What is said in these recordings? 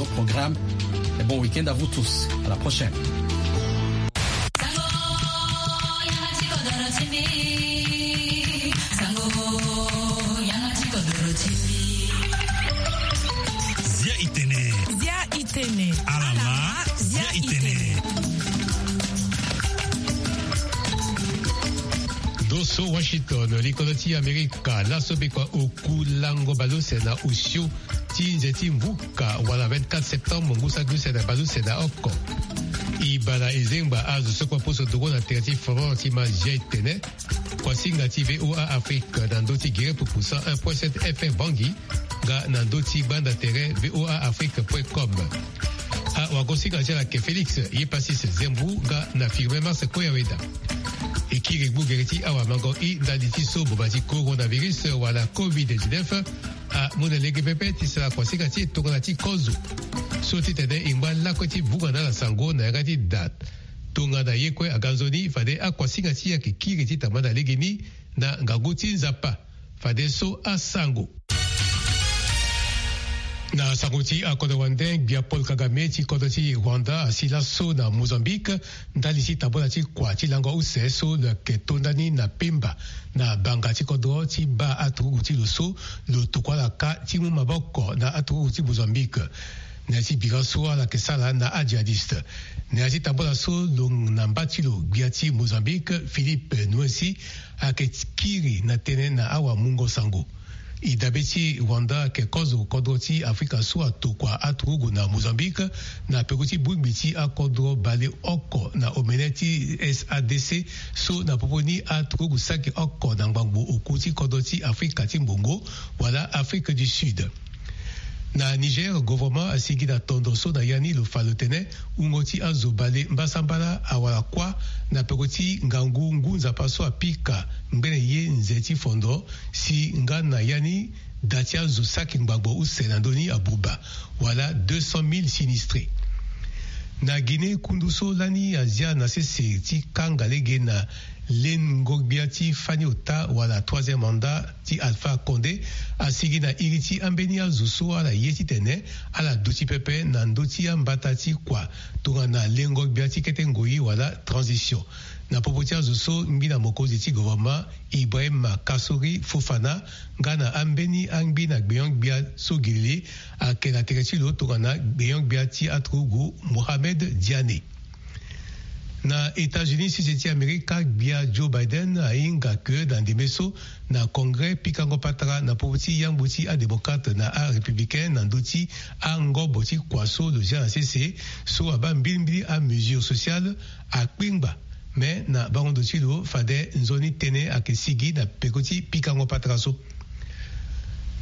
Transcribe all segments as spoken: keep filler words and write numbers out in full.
Programme. Et bon week-end à vous tous. À la prochaine. Zia itene. Zia itene. Alama. Zia itene. Doso Washington, likolo ti Amerika, laso bekua oku lango baleuse na osio ti nze ti mvuka wala vingt-quatre septembre ngu saki use na baleuse na oko. E baa na e zengba azo so kue aposo ndongo na tere ti Florent ti ma zia etene. Kuasinga ti VOA Afrique na ndö ti gere pupu cent un point sept F M Bangui, nga na ndö ti gbanda tere VOA Afrique point com. Awagosinga ti ala yeke Félix Yepasis Zembu nga na Firmin Mars Koyaweda. E kiri gbu gere ti awamango i ndali ti so boma ti coronavirus wala covid dix-neuf amu na lege pepe ti sara kuasinga ti e tongana ti kozo. So ti tene e ngba lakue ti vunga na ala sango na yanga ti da. Tongana ye kue aga nzoni fade akuasinga ti e ayeke kiri ti tambana legeni na ngangu ti Nzapa. Fadeso asango. Na sango ti akodro wande, gbia Paul Kagame ti kodro ti Rwanda asi laso na Mozambique ndali ti tambula ti kua ti lango use so lo yeke to ndani na Pemba, na banga ti kodro ti baa aturugu ti lo so lo tokua ala kâ ti mu maboko na aturugu ti Mozambique. Na ya ti bira so ala yeke sara na ajihadiste. Na ya ti tambula so lo na mba ti lo, gbia ti Mozambique Philippe Nyusi ayeke kiri na tënë na awamungo sango. E dabe ti Rwanda ayeke kozo kodro ti Afrika so atokua aturugu na Mozambique na peko ti bongbi ti akodro baleoko na omene ti sadc, so na popo ni aturugu saki oko na ngbangbo oku ti kodro ti Afrika ti mbongo wala Afrique du Sud. Na Niger, gouvernement asigi na tondo so na ya ni lo fa lo tene wungo ti azo bale mbasambala awara kuâ na peko ti ngangu ngu Nzapa so apika ngbene ye nze ti fondo, si nga na ya ni da ti azo saki ngbangbo use na ndö ni abuba, wala deux cent mille sinistrés. Na Guinée, kundu so lani azia na sese ti kanga lege na lengo-gbia ti fani ota wala troisième mandat ti Alpha Condé asigi na iri ti ambeni azo so ala ye titene ala duti pepe na ndö ti ambata ti kua tongana lengo-gbia ti kete ngoi wala transition. Na popo ti azo so, ngbina mokonzi ti gouvernement Ibrahim Kassory Fofana nga na ambeni angbina gbenyo-gbia so girili ayeke na tere ti lo tongana gbenyo-gbia ti aturugu Mohamed Diané. Na États-Unis, sese ti Amerika, gbia Joe Biden ahinga ke na ndembe so na Congrès pikango patara na popo ti yangbu ti adémocrate na arépublicain na ndö ti angobo ti kua so lo zia na sese, so abaa mbilimbili amesure sociale akpengba. Me na bango ndo ti lo fade nzoni tënë ayeke sigi na peko ti pikango patara so.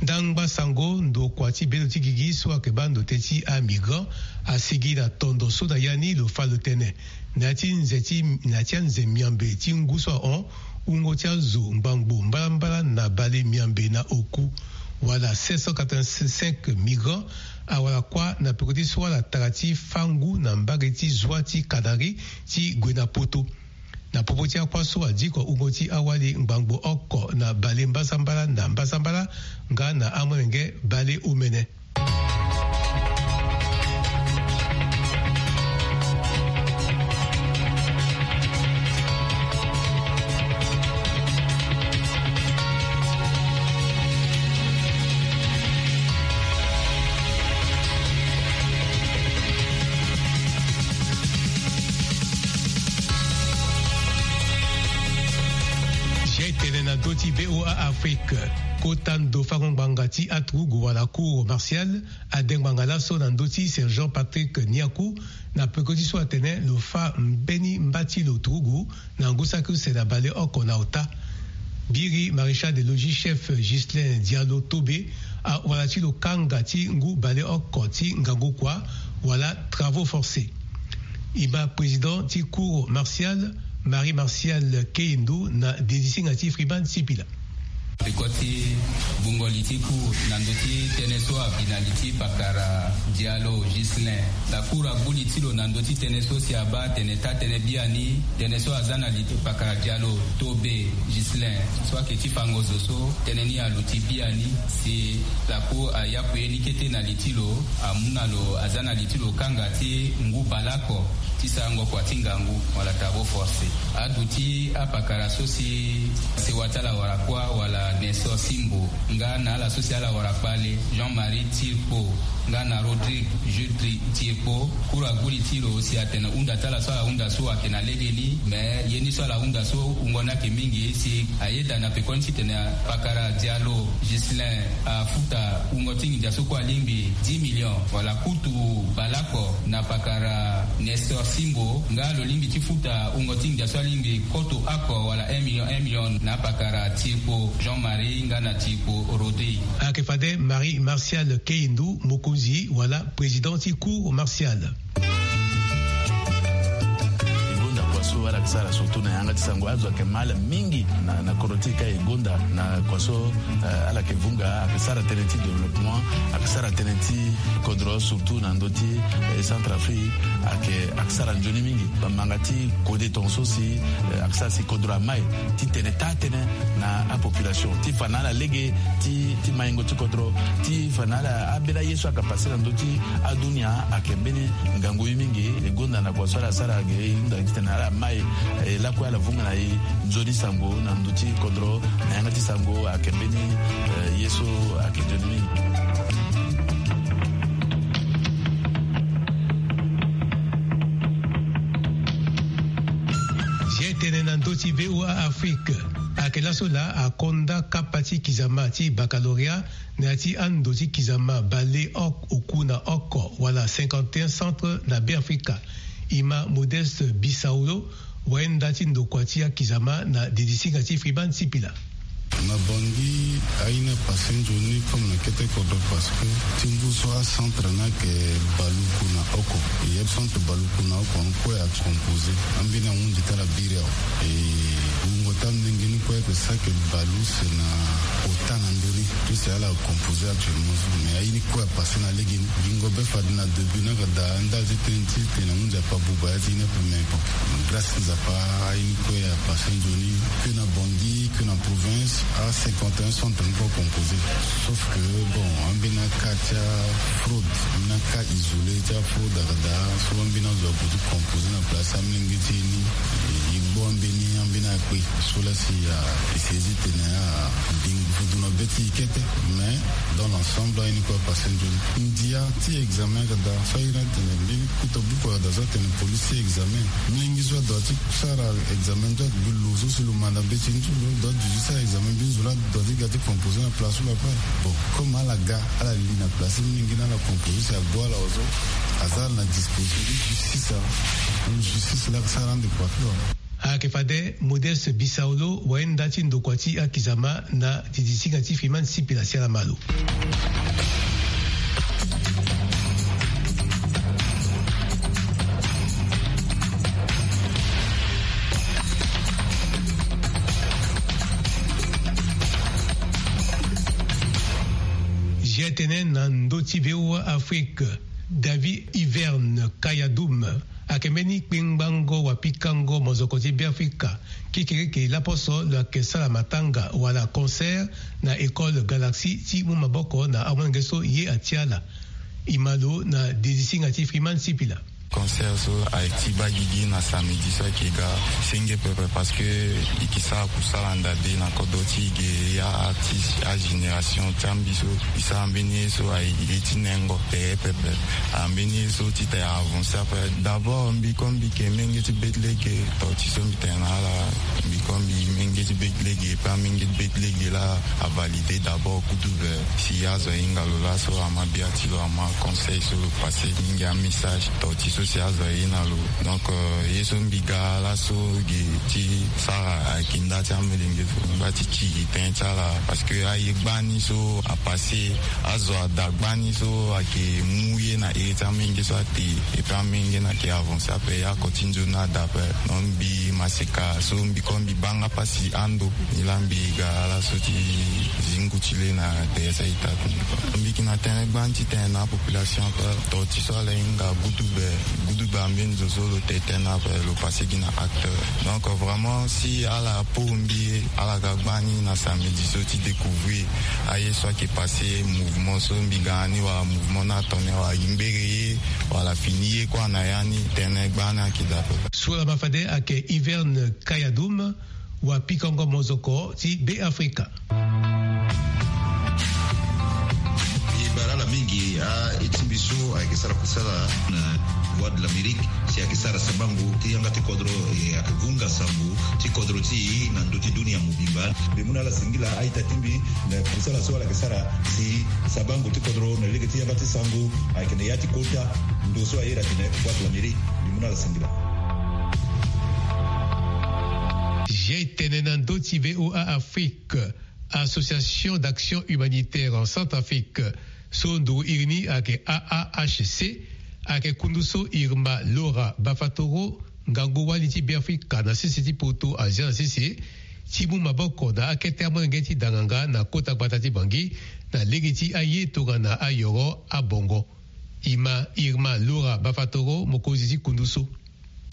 Ndangba sango, ndokua ti bendo ti gigi so ayeke baa ndote ti amigrant asigi na tondo so na ya ni lo fa lo tene na ya ti nze ti, na ya ti anze miambe ti ngu so ahon, wungo ti azo ngbangbo mbalambala na bale miambe na oku wala sept cent quatre-vingt-cinq migrants awara kuâ na peko ti so ala tara ti fâ ngu na mbage ti zwa ti Canaries ti gue na Poto. Na popo ti akuâ so adiko wungo ti awali ngbangbo oko na bale mbasambala na mbasambala nga na amolenge bale omene. Zia etene na ndö ti VOA Afrique. Kota ndo fango ngbanga ti aturugu wala cour martiale ade ngbanga laso na ndö ti sergent Patrick Niakou, na peko ti so atene lo fâ mbeni mba ti lo turugu na ngu saki use na bale oko na ota. Biri maréchal de logis chef Ghislain Diallo Tobe awara ti lo kanga ti ngu bale oko ti ngangu kua wala travaux forcés. E ma président ti cour martiale, Marie Martial Keyendo, na dedisinga ti Freeman Sipila. Peko ti bungo li ti cour na ndö ti tënë so abi na li ti pakara Dialo Ghislain. La cour agbu li ti lo na ndö ti tënë so si abaa atene taa tënë biani, tënë so aza na li ti pakara Dialo Tobe Ghislain so ayeke ti fango zo so, tënë ni aluti biani. Si la cour ayaku ye ni kete na li ti lo, amu na lo aza na li ti lo kanga ti ngu baleoko ti sarango kua ti ngangu wala travaux forcés. Aduti apakara so si sewa ti ala wara kuâ wala Nestor Simbo, nga na ala so si ala wara kpale, Jean-Marie Tirpo, nga na Rodrigue Jules Tri-, Tirpo. Cour agbu li ti lo si atene hunda ti ala so ala hunda so ayeke na legeni, me ye ni so ala hunda so wungo ni ayeke mingi si ayeda na pekoni titene pakara Dialo Ghislain afuta wungo ti nginza so kue alingbi dix millions wala kutu baleoko na pakara Nestor Simbo, nga lo lingbi ti futa wungo ti nginza so alingbi koto oko wala un million, un million na pakara Tirpo Jean-Marie nga na Tirpo Rodrigue. Ayeke fade Marie Martial Keyindou, mokonzi wala président ti cour martiale. E gonda kua so ala yeke sara surtout na yanga ti sango, azo ayeke mal mingi na, na kodro ti e ka e gonda na kua so, eh, ala yeke vunga, ayeke sara tënë ti développement, ayeke sara tënë ti kodro surtout na ndö ti, eh, Centrafrique, ayeke, ayeke sara nzoni mingi. Bamanga ti kode tongaso si, eh, ayeke sara si kodro amai titene taa tënë na apopulation ti fa na ala lege ti, ti maingo ti kodro, ti fa na ala ambeni aye so ayeke passe na ndö ti adunia ayeke mbeni ngangu ye mingi. E gonda na kua so ala sara ge e hunda titene ala mai, eh, lakue ala vunga na e nzoni sango na ndö ti kodro na yanga ti sango ayeke mbeni, eh, ye so ayeke nzoni mingi. Zia tënë na ndö ti V O A Afrique. Ayeke laso laa akonda kapa ti kizama ti baccalauréat na ya ti ando ti kizama baleoko oku na oko wala cinquante et un centre na Beafrika. E ma Modeste Bisaolo, wayenda ti ndokua ti akizama na didisinga ti Freeman Sipila. Na Bangui, aye ni apasse nzoni comme na kete kodro parce que ti ngu so acentre ni ayeke baluku na oko. E ye centre baluku na oko ni kue ayeke composé. Ambeni ahunzi ti ala biri awe. E wungo ti amolenge ni kue ayeke sara ayeke bale use na ota na ndö ni. Tout si ala composé actuellement so. Mais aye ni kue apasse na legeni. Gingo be fade na début ni ayeke daa ndali ti tënë ti tene ahunzi ape abuba ya ti ni ape mais bon. Grâce ti Nzapa, aye ni kue apasse nzoni. Que na Bangui, que na province, a cinquante et un centre ni kue composé. Sauf que, bon, ambeni aka ti afraude, ambeni aka isolé ti afraude ayeke daa. So ambeni azo ague ti composé na place amolenge ti e ni. E gbu ambeni, ambeni akpe. So la si a, e saisit tene a, ding, fudu na be ti e kete. Mais, dans l'ensemble, aye ni kue apasse nzoni. Ndia ti examen ayeke daa, so aye ni atene mbeni kuta buku ayeke daa so atene police ti examen. Molenge so adoit ti sara examen ni so ayeke bi lo so si lo manda be ti ni so lo doit ti duti sara examen, mbeni zo la doit ti ga ti composé na place so lo ape. Bon, comme ala ga, ala li na place ti molenge ni ala composé si agbu ala awe so, aza ala na disposition ti justice awe. Justice la ayeke sara ande kua ti lo awe. Ayeke fade Modeste Bisaolo, wayenda ti ndokua ti akizama na didisinga ti Freeman Sipila, si ala ma lo. Zia tënë na ndö ti V O A Afrique, David Hiverne Kayadoum ayeke mbeni kpengbango wapikango mozoko ti Beafrika. Kekereke laposo lo yeke sara matanga wala concert na école Galaxie ti mu maboko na amolenge so ye atia ala. E ma lo na didisinga ti Freeman Sipila. Concert so ayeke ti baa gigi na samedi so ayeke ga. Senge pepe parce que e yeke sara kusala nda de na kodro ti e ge, ya artiste, agénération ti ambi so e sara mbeni ye so ayeke ye ti nengo tere pepe. Ambeni ye so ti tene avancer ape. D'abord mbi kue mbi yeke menge ti be ti lege, to ti so mbi tene na ala, mbi kue mbi menge ti be ti lege, pe amenge ti be ti lege la avalider d'abord kutu be. Si azo ahinga lo laso ama bia ti lo, ama conseil so lo passer mingi amessage, to ti So si azo aye na lo. Donc, euh, ye so mbi ga laso ge ti sara ayeke nda ti amolenge so, mbi ba ti ti gi tënë ti ala. Parce que aye gbani so apassé, azo ada gbani so ayeke mu ye na iri ti amolenge so ate. Et puis amolenge ni ayeke avancé ape, ye oko ti nzoni ada ape. Donc mbi maseka so mbi ko mbi baa nga pasi ando. Ni laa mbi ga laso ti zi ngu ti le na tere ti a-ita ti mbi. Mbi yeke na tënë gbani ti tene na apopulation ape. To ti so ala hinga gudugbe, gudugbe ambeni zo so lo te tënë ape, lo passé gi na acte. Donc vraiment si ala pour mbi, ala ga gbani na samedi so ti découvrir aye so ayeke passé, mouvement so mbi ga na ni, wala mouvement ni atene wala e ngbere ye, wala fini ye kue na ya ni, tënë gbani ayeke daa ape. So laa ma fade ayeke Hiverne Kayadum, wapikango mozoko ti Beafrika. E bara ala mingi. A-eti mbi so ayeke sara kusala na Voix de l'Amérique, si ayeke sara sabango ti yanga ti kodro, e ayeke vunga sango ti kodro ti e na ndö ti dunia mobimba. Mbi mu na ala singila a-ita ti mbi na kusala so ala yeke sara si sabango ti kodro na lege ti yanga ti sango ayeke na ya ti kota ndo so a iri atene Voix de l'Amérique. Mbi mu na ala singila. Zia e tene na ndö ti V O A Afrique, Association d'Action Humanitaire en Centrafrique, so nduru iri ni ayeke A A H C, ayeke kundu so Irma Laura Bafatoro, ngangu wali ti Beafrika na sese ti poto, azia na sese ti mu maboko na akete amolenge ti danganga na kota gbata ti Bangui na lege ti aye tongana ayoro abongo. Ima Irma Laura Bafatoro, mokonzi ti kundu so.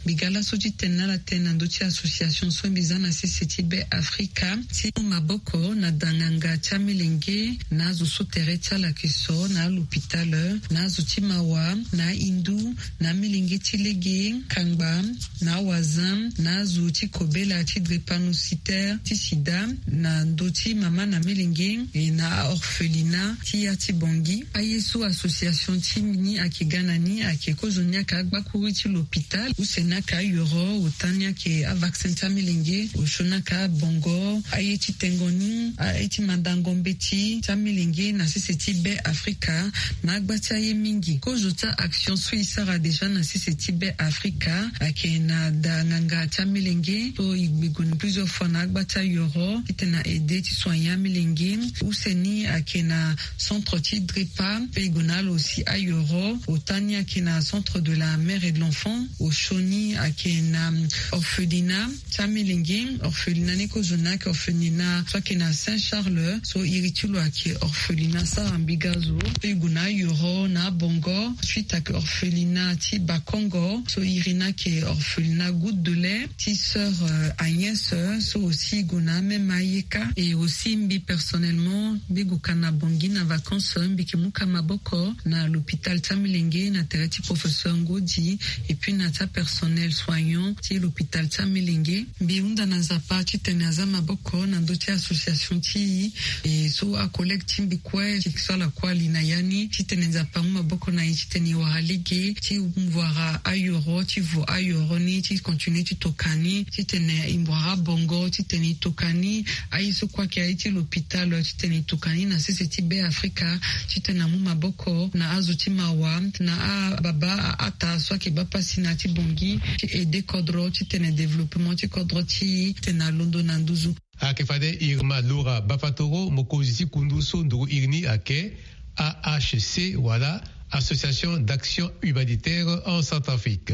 Mbi ga laso ti tene na ala tënë na ndö ti association so mbi za na sese ti Beafrika ti mu maboko na danganga ti amilenge na azo so tere ti ala yeke so na alopitale, na azo ti mawa, na ahindu, na amilenge ti lege kangba, na awazin, na azo ti kobela ti drépanocytaire ti sida, na ndö ti mama na milenge, e na aorphelinat ti ya ti Bangui. Aye so association ti ni ayeke ga na ni ayeke kozo ni ayeke agbakuru ti lopitale, use ni ayeke ayoro, ota ni ayeke avaccin ti amilenge, osio ni ayeke abongo, aye ti tengo ni, aye ti mandango mbeti ti amilenge na sese ti Beafrika, na agba ti aye mingi. Kozo ti a-action so e sara déjà na sese ti Beafrika ayeke na da nganga ti amilenge so e gbe gue plusieurs fois na agba ti ayoro titene na aide ti soigner amilenge. Use ni ayeke na centre ti drepa, pe e gue na ala aussi ayoro. Ota ni ayeke na centre de la mère et de l'enfant. Osio ni ayeke na orphelinat ti amilenge. Orphelinat ni kozo ni ayeke orphelinat so ayeke na Saint Charles, so iri ti lo ayeke orphelinat sara mbi ga zo. So e gue na ayoro na abongo, suite ayeke orphelinat ti Bakongo, so iri ni ayeke orphelinat Goutte de lait ti sœur, euh, Agnès, euh, so aussi e gue na amême ayeka. Et aussi mbi personnellement mbi gue ka na Bangui na vacances, mbi yeke mu ka maboko na l'hôpital ti amilenge na tere ti professeur Ngodi, et puis na ti apersonnel soignant ti l'hôpital ti amilenge. Mbi hunda na Nzapa titene aza maboko na ndö ti association ti e, e so acollègue ti mbi kue ti sala kue ali na ya ni, titene Nzapa amu maboko na e titene e wara lege ti mu wara ayoro, ti vo ayoro ni, ti continuer ti toka ni, titene e mu wara bongo, titene e toka ni. Aye so kue ayeke aye ti l'hôpital, titene e toka ni na sese ti Beafrika, titene amu maboko na azo ti mawa, na ababa, a-ata so ayeke baa pasi na ya ti Bangui, ti aide kodro titene développement ti kodro ti e titene alondo na nduzu. Ayeke fade Irma Laura Bafatoro, mokonzi ti kundu so nduru iri ni ayeke A H C, wala Association d'Action Humanitaire en Centrafrique.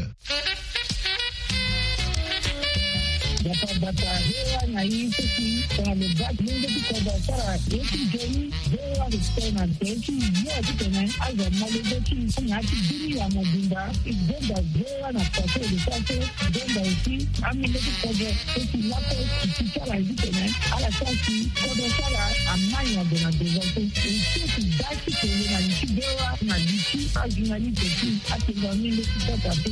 Bata bata, V O A na i seki tongana lo baa ti lenge ti kodro asara ye ti nzoni. V O A respect na tere ti yo titene azo amolenge ti i na ya ti dunia mobimba. I zonza V O A na façon e lo sara so, i zonza aussi amolenge ti kodro. Eti lako ti ti ala ye titene ala sara si kodro ti ala amai na gue na devant so. E seki baa ti kele na li ti V O A na li ti ajournaliste ti atengo amolenge ti kota so.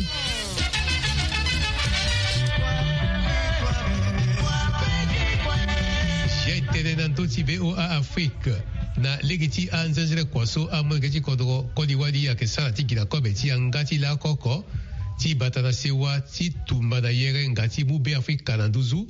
Zia e tene na ndö ti V O A Afrique, na lege ti anzenze kua so amolenge ti kodro koli wali ayeke sara ti gi na kobe ti yanga ti lako oko ti bata na sewa ti tumba na yere nga ti mu Beafrika na nduzu.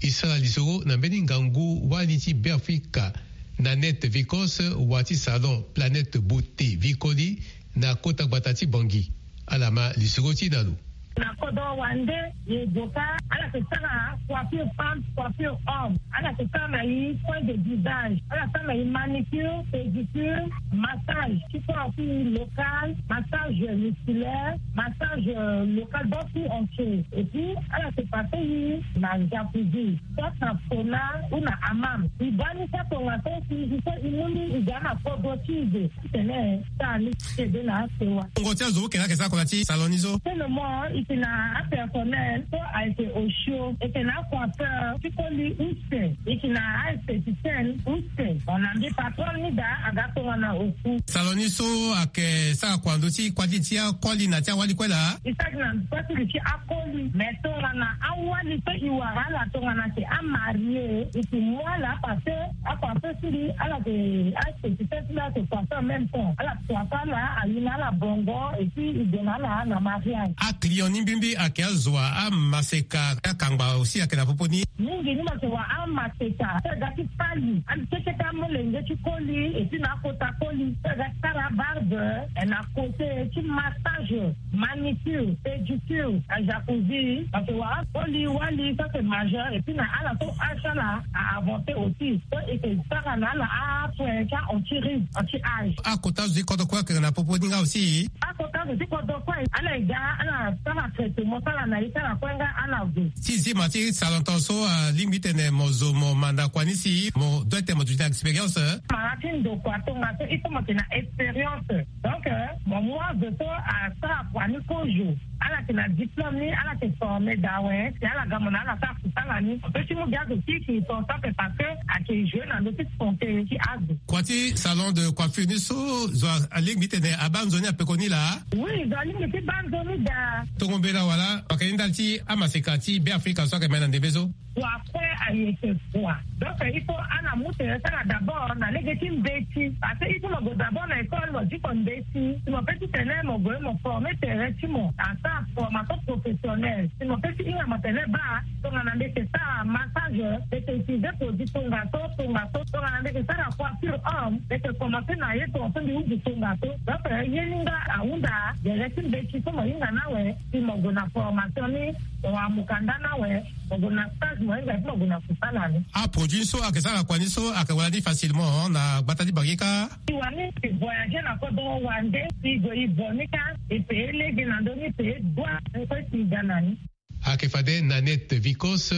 E sara lisoro na mbeni ngangu wali ti Beafrika, Nanette Vikos, wa ti salon Planète Beauté Vikoli, na kota gbata ti Bangui. Ala ma lisoro ti na lo. Na kodro wande, ye doka ala ke sara coiffure femme, coiffure homme, ala ke sara na ye point de visage, ala sara na ye manicure, pédicure, massage ti corps ti local, massage musculaire, massage local, bas tout entier. Et puis ala ke passe ye na jacuzzi, soit na sauna ou na hammam. I baa ni sa tongaso, si i so i mu ni, i ga na kodro ti i. Tene sa ni kede na asewa. Ngo ti azo oke na ake sa kola ti salon ni so. Tene mo i ke na apersonnel so ayeke osio, e ke na acoiffeur ti koli use, e ke na aesthéticienne use. Bon, na mbi patron ni daa aga tongana oku. Salon ni so ake sara kua ndo ti kuâ ti akoli na ti awali kue laa? I sara gi na kuâ ti gi ti akoli, mais tongana awali so i wara ala tongana ke amarie, i ke mu ala parce que acoiffeur ti mbi ala ke aspécifique ti mbi ala ke coiffeur en même temps. Ala coiffer ala, ayi na ala bongo, et puis i gue na ala na mariage. Aclient ni mbimbi ake azo wa amaseka, akangba aussi ake na popo ni? Mingi ni mo ke wa amaseka so e ga ti fali, ande keke amolenge ti koli, et puis na akota koli so e ga ti sara barbe, eh, na côté ti massage, manicure, pédicure, na jacuzzi. Parce que wa akoli wali so c'est majeur, et puis na ala so âge ala a avancé aussi, so e ke sara na ala asoin ti anti-rides, anti-âge. Akota zo ti kodro kue ake na popo ni nga aussi? Akota zo ti kodro kue ala e ga, ala sara traitement ti ala na ye ti ala kue nga ala zo. Ti zi ma ti salon ton so, alingbi tene mo zo mo manda kua ni si mo doit tene mo duti na expérience? Mara ti ndokua tongaso il faut mo yeke na expérience. Donc, euh, mo mu azo so asara kua ni kozo, ala yeke na diplôme ni, ala yeke formé daa awe, si ala ga mo na ala sara kusala ni, mo peut ti mu gi azo ti ki ton so ape parce que ayeke joué na ndö ti santé ti azo. Kua ti salon de coiffure ni so, zo alingbi tene abaa nzoni apekoni laa? Oui, zo alingbi ti baa nzoni daa. Tongo mbela wala, waka ni ndali ti amaseka ti Beafrika so ayeke ma na ndembe so? Wa kue ayeke kua. Donc il faut ala mu tere ti ala d'abord na lege ti mbeti. Parce que il faut mo gue d'abord na école, mo diko mbeti. Si mo peut ti tene mo gue mo formé tere ti mo, asara formation professionnelle. Si mo peut ti hinga mo tene baa, tongana mbi yeke sara massage, mbi yeke utiliser produit tongaso, tongaso, tongana mbi yeke sara coiffure homme, mbi yeke commencer na ye tongaso, mbi uzu tongaso. Donc ye ni nga ahunda gere ti mbeti so mo hinga ni awe, si mo gue na formation ni, mo wa mukanda ni awe, mo gue na stage, mo hinga ti mo gue na kusala ni. Aproduit so ayeke sara kua ni so ayeke wara ni facilement na gbata ti Bangi kâ? Si wani e voyager na kodro wande, si e gue e vo ni kâ, e payé lege na ndö ni, e payé douane, ni kue si e ga na ni. Ayeke fade Nanette Vicos,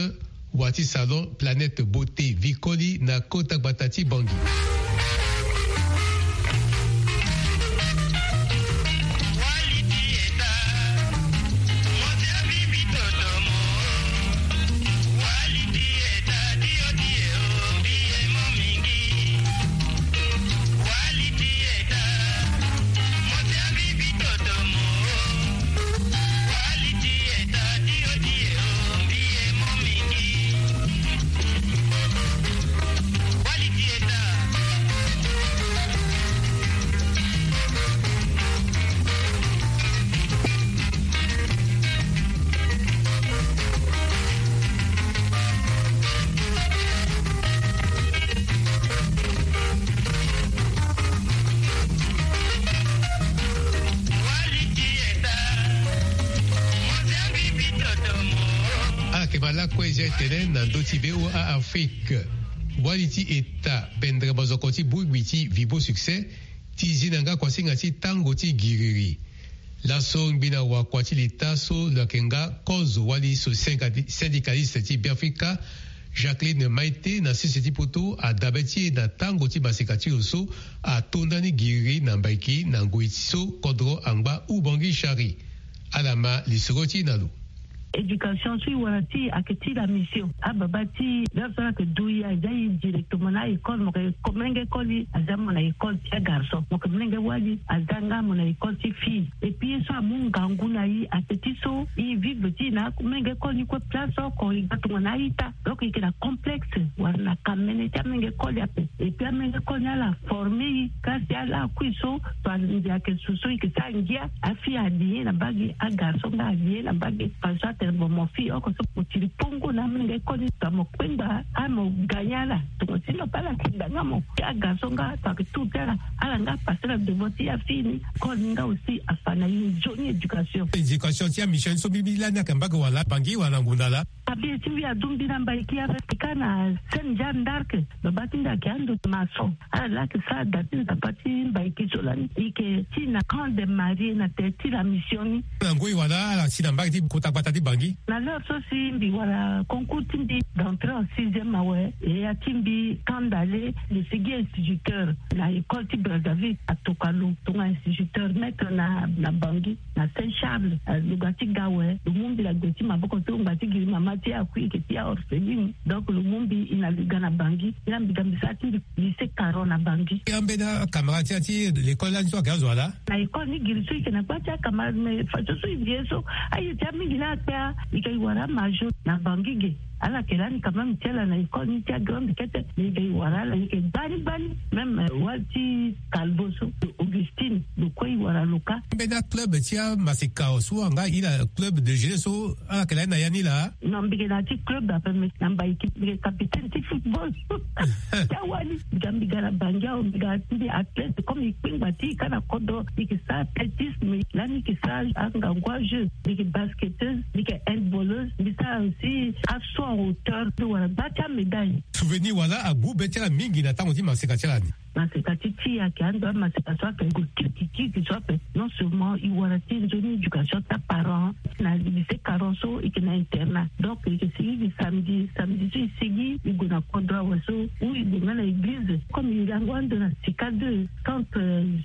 wa ti salon Planète Beauté Vicoli na kota gbata ti Bangi. Ala yeke ma lakue zia tene na ndö ti V O A Afrique. Wali ti eta pendere mazoko ti bongbi ti Vibo Succès ti zi na nga kuasinga ti tango ti giriri. Laso ngbina wakua ti leta so lo yeke nga kozo wali so syndicaliste ti Beafrika, Jacqueline Maite, na sese ti poto, adabe ti e na tango ti maseka ti lo so ato ndani giriri na Mbaiki na ngoi so kodro angba Ubangui Chari. Ala ma lisoro ti e na lo. Éducation so e wara ti e ayeke ti la mission. Ababa ti e, la so ala yeke du e, aza e directement na a-école, mo yeke ko-, molenge koli aza mo na école ti agarçon, mo yeke molenge wali aza nga mo na école ti fille. Et puis ye so amu ngangu na e ayeke ti so e vivre ti e na molenge koli ni kue place oko, e ga tongana a-ita. Donc e yeke na complexe wala na kamene ti amolenge koli ape. Et puis amolenge koli ni ala former e, kasi ala kui so, so andi ayeke su so e yeke sara ngia, afille adi ye na mbage, agarçon nga adi ye na mbage, façon Tene mo mo fi oko so mo tiri pongo na amolenge koli ta mo kpengba a mo ganya ala. Tongo si no pe ala kpengba nga mo ti aga so nga ta ke tu ti ala ala nga pasera devant ti ya fini. Koli nga aussi afa na ye nzoni éducation. Éducation ti amission so mbi mbi lani aka mbage wala bangi wala ngunda la. Abi ti mbi adu mbi na mbaiki ape ti ka na sene ja ndarke. Baba ti mbi ake ando maçon. Ala laki sa da ti nzapa ti mbaiki so lani ike ti na camp de marie na te ti la mission ni. Na ngoi wala ala si na mbage ti kota gbata ti bangi. Na l'heure so si mbi wara concours ti mbi d'entrée en sixième awe. Eya ti mbi kandale le sigi instituteur na école ti Brazzaville atoka lo tonga instituteur maître na na bangi na saint charles. Lo ga ti ga awe lo mu mbi na gbe ti maboko so ngba ti giri mama ti akui eke ti aorpheline. Donc lo mu mbi i na liga na bangi. Ila mbi ga mbi sara ti mbi lycée caron na bangi. Ambeni acamarade ti ya ti l'école lani so ake azo ala. Na école ni giri so ike na gba ti acamarade mais façon so i vie so aye ti amingi la akpe a. Ike i wara amajo na bangi ge. Ala ke lani quand même ti ala na école ni ti agrande kete. Ike i wara ala ike gbani gbani. Même wali ti calbo so augustine lo kue i wara lo ka. Mbeni aclub ti amaseka so anga ila club de jeu so ala ke lani na ya ni laa. Non mbi ke na ti club ape mais na mbaiki mbi ke capitaine ti football. Ti awali mbi ga mbi ga na bangi awe mbi ga ti mbi athlète comme i kpengba ti i ka na kodro. Mbi ke sara athlétisme lani mbi ke sara angangu ajeu. Mbi ke basketteuse mbi ke handballeuse mbi sara aussi assaut en hauteur mbi wara gba ti amédaille. Souvenir wala agbu be ti ala mingi na tango ti maseka ti ala ni. Maseka ti ti ayeke ando amaseka so ayeke gue kirikirikiri so ape. Non seulement e wara ti e nzoni éducation ti aparent na lycée caron so e yeke na internat. Donc e yeke sigi gi samedi samedi so e sigi e gue na kodro awe so ou e gue nga na église comme e lango ando na sika deux quand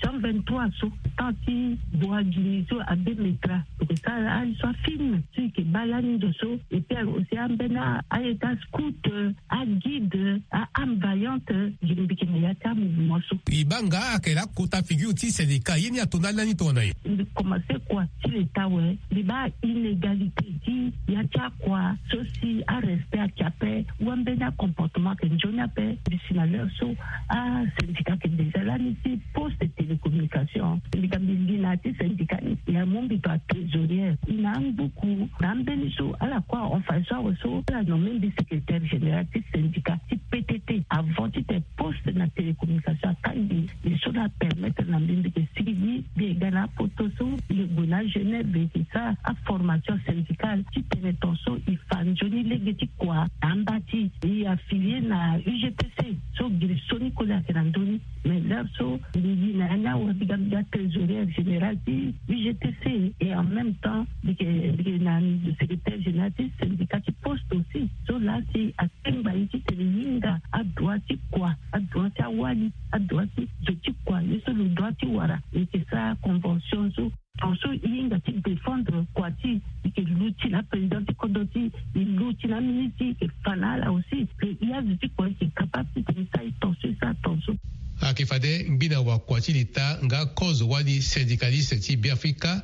jean vingt-trois so temps ti boagini so abe metra. E yeke sara aye so afilme so e yeke baa lani ndo so. Et puis aussi ambeni aye ti ascout aguide a âme vaillante. Gi mbi yeke na ya ti amouvement so. E baa nga ayeke laa kota figure ti syndicat ye ni ato ndali lani tongana nyen? Mbi commence kua ti leta awe. Mbi baa inégalité ti ya ti akua so si arespect ayeke ape. Wambeni acomportement ayeke nzoni ape. Mbi si na l'heure so asyndicat ayeke déjà lani ti poste télécommunication. Mbi ga mbi li na ya ti syndicat ni ya mu mbi to atrésorière. E na angbuku na ambeni so ala kue ahon fade so awe so ala nomme mbi secrétaire général ti syndicat ti ptt. Avant ti tene poste na télécommunication akangbi mbi so la apermettre na mbi mbi ke sigi gi mbi e ga na apoto so mbi ke gue na agenève mbi ke sara aformation syndicale ti tene ton so e fa nzoni lege ti kua na amba ti e affilié na ugtc. So giri so ni koli ayeke na ndö ni. Mais l'heure so mbi gi na ya ni awe mbi ga mbi ga trésorière générale ti ugtc. Et en même temps mbi ke mbi ke na secrétaire général ti syndicat ti poste aussi. So laa si akengba ye ti tene e hinga adroit ti kua, adroit ti awali, adroit ti zo ti kua ye so lo droit ti wara e yeke sara convention so. Ton so e hinga ti défendre kua ti e yeke luti na aprésident ti kodro ti e luti na amini ti e yeke fa na ala aussi. Ke e azo ti kua e yeke capable ti tene e sara e ton so e sara ton so. Ayeke fade ngbi na wakua ti leta nga kozo wali syndicaliste ti beafrika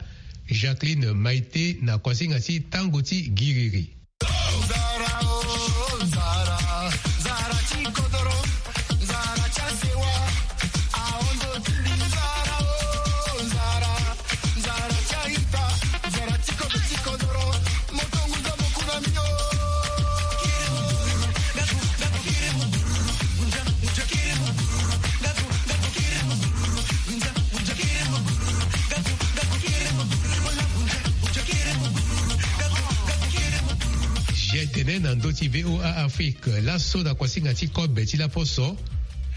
jacqueline maite na kuasinga ti tango ti giriri. Jai tene na ndö ti voa afrique laso na kuasinga ti kobe ti laposo.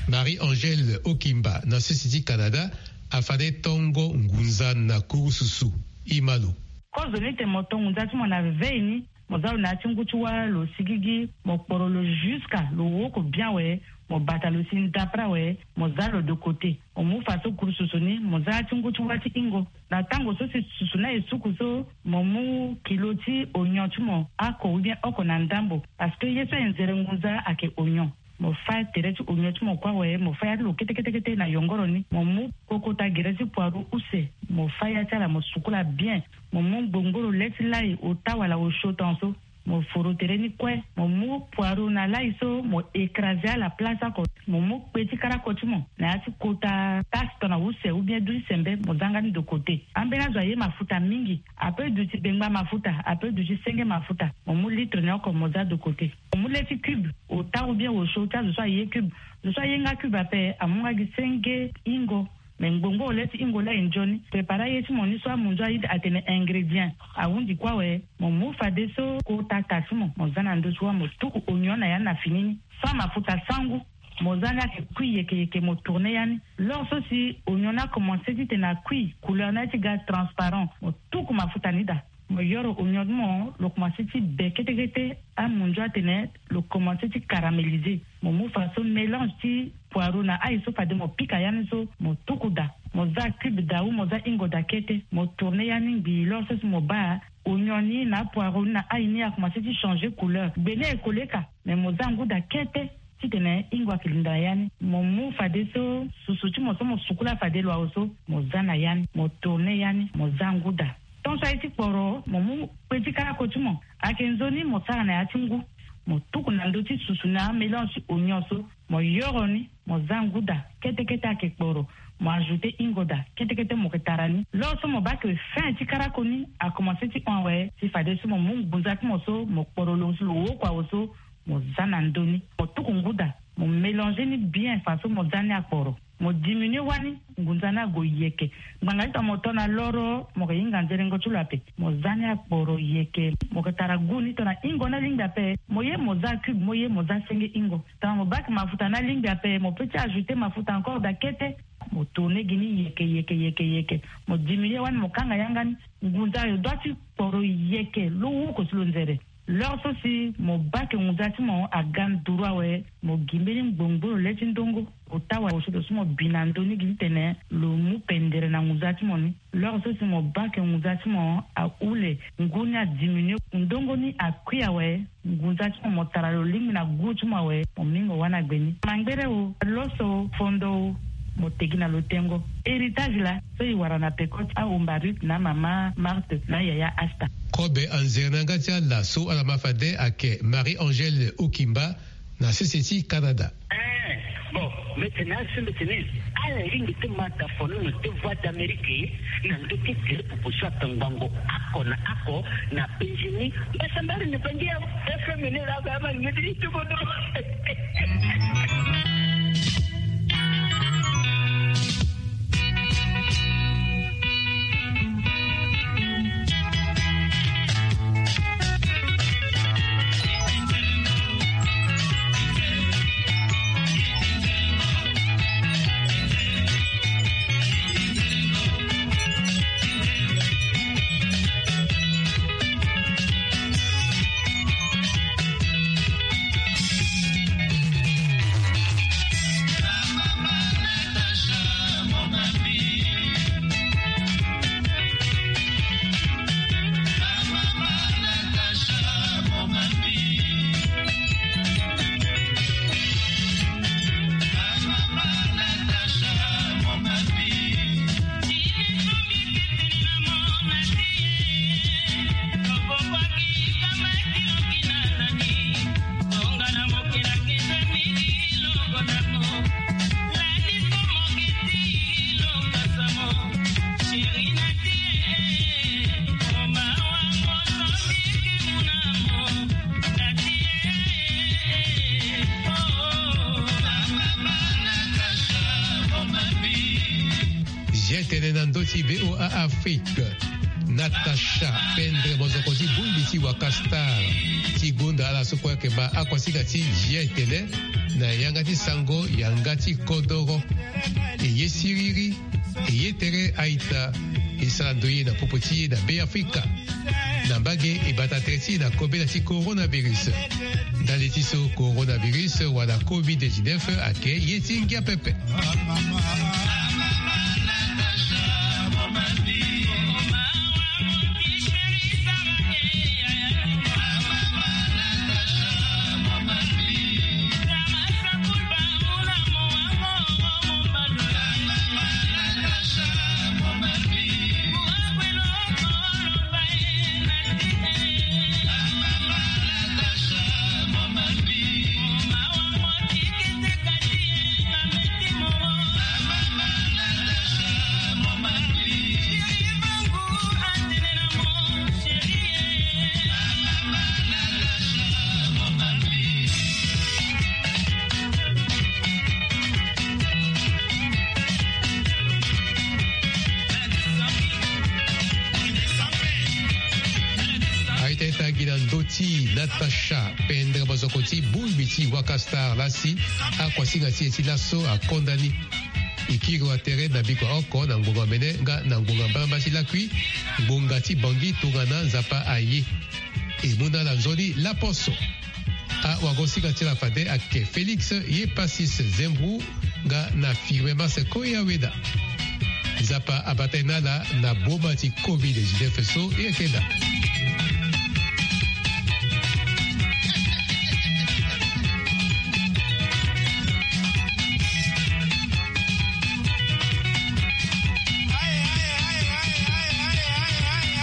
Marie angèle okimba na sese ti canada afade tongo ngunza na kurususu. Imalo. Kozo ni te mo tongo ngunza ti mo na vevei ni. Mo za lo na ya ti ngu ti wâ lo sigigi mo kporo lo jusque lo woko bien we. Mo bata lo si ndapra we mo za lo de côté. Mo mu fa so kuru susu ni mo za ya ti ngu ti wâ ti ingo. Na tango so si susu na esuku so mo mu kilo ti onyon ti mo ako ou bien oko na ndambo. Parce que ye so e nzere ngunza ake onyon. Mo fa tere ti onyon ti mo kua we mo fa ya ti lo kete kete kete na yongoro ni mo mu kokota gere ti poiru use. Mo fa ya ti ala mo sukula bien. Mo mu ngbongboro le ti lai ota wala osio tonso. Mo foro tere ni kue, mo mu poireau na lai so mo écraser ala place oko. Mo mu kpe ti karako ti mo na ya ti kota tasse tongana use ou bien du ti sembe, mo za nga ni de côté. Ambeni azo aye mafuta mingi, ape duti bengba mafuta, ape duti senge mafuta. Mo mu litre ni oko mo za de côté. Mo mu le ti cube, ota ou bien osio ti azo so aye cube. Zo so aye nga cube ape amu nga gi senge ingo. Me ngbongbongo le ti ingo la e nzoni. Préparer aye ti mo ni so amunzu aye atene ingrédient. Ahundi kue awe, mo mu fadeso kota tasse ti mo, mo za na ndö ti wâ, mo tuku oignon na ya ni na fini ni. Sans mafuta sangu, mo za ni ayeke kui yeke yeke, mo tourner ya ni. L'heure so si oignon ni akomanse titene akui, couleur ni aye ti ga transparent, mo tuku mafuta ni daa. Mo yoro oignon ti mo, lo komanse ti be kete kete, amunzu atene lo komanse ti caraméliser. Mo mu fadeso mélange ti poireau na ail so fade mo pika ya ni so, mo tuku daa. Mo za cube daa ou mo za ingo daa kete, mo tourner ya ni ngbii. L'heure so si mo baa oignon ni na apoireau ni na ail ni akomanse ti changer couleur, gbe ni aye koleka, me mo za ngu daa kete titene ingo ayeke linda na ya ni. Mo mu fadeso susu ti mo so mo sukula fade lo awe so, mo za na ya ni, mo tourner ya ni, mo za ngu daa. Tant so aye ti kporo, mo mu kpe ti karako ti mo, ayeke nzoni, mo sara na ya ti ngu. Mo tuku na ndö ti susu na amélange ti oignon so, mo yoro ni, mo za ngu daa kete kete, ayeke kporo. Mo ajouter ingo daa kete kete, mo yeke tara ni. L'heure so mo baa ke fin ti karako ni akomanse ti hon awe, si fadeso mo mu ngunza ti mo so mo kporo lo si lo woko awe so, mo za na ndö ni, mo tuku ngu daa, mo mélanger ni bien faso mo za ni akporo. Mo diminuer wani, ngunza ni ague yeke. Ngbanga ti tongana mo to na loro, mo yeke hinga nzerengo ti lo ape. Mo za ni akporo yeke. Mo yeke tara goût ni, tongana ingo ni alingbi ape, mo ye mo za cube, mo ye mo za senge ingo. Tongana mo baa ke mafuta ni alingbi ape, mo peut ti ajouter mafuta encore daa kete. Mo tourner gi ni yeke yeke yeke yeke. Mo diminuer wani, mo kanga yanga ni. Ngunza ayo doit ti kporo yeke, lo woko si lo nzere. L'heure so si mo baa ke ngunza ti mo aga nduru awe, mo gi mbeni ngbongbongo le ti ndongo. Ota wala osio so mo bi na ndö ni gi titene lo mu pendere na ngunza ti mo ni. L'heure so si mo baa ke ngunza ti mo ahule, ngu ni adiminuer, ndongo ni akui awe, ngunza ti mo, mo tara lo lingbi na goût ti mo awe, mo mingo wani agbe ni. Mangbere o, loso, fondo o, mo tegi na lo tengo. Héritage laa so e wara na peko ti ahomba Ruth na mama Marthe na yaya Asta. Kobe anzere na yanga ti ala so ala ma fade ayeke Marie-Angèle Okimba na sese ti Canada. Eh, bon, mbi tene asi, mbi tene ala lingbi ti ma dafono na te Voix d'Amérique na ndö ti tere proposition atangbango oko na oko na penzi ni. Mbasambari ni bangi ya F M ni la ba ma ni ti tuko do. Zia tene na ndö ti V O A Afrique. Natacha Pendre, mozoko ti bongbi ti Waka Star, ti gonda ala so kue ayeke ma akuasinga ti Zia tene na yanga ti sango yanga ti kodoro. E ye siriri, e ye tere a-ita, e sara ndoye na popo ti e na Be Afrika. Na mbage e bata tere ti e na kobela ti coronavirus. Ndali ti so coronavirus wala covid dix-neuf ayeke ye ti ngia pepe. Tangi na ndö ti Natacha Pendre, mozoko ti bungbi ti Waka Star lasi, akuasinga ti e ti laso akonda ni. E kiri wa tere na bikua oko na ngbonga mene nga na ngbonga mbalamba ti lakui, ngbonga ti Bangui tongana Nzapa aye. E mu na ala nzoni laposo. Awagosinga ti ala fade ayeke Félix Yepasis Zembou nga na Firmin Marcel Koya Weda. Nzapa abata e na ala na boma ti covid dix-neuf so e yeke daa.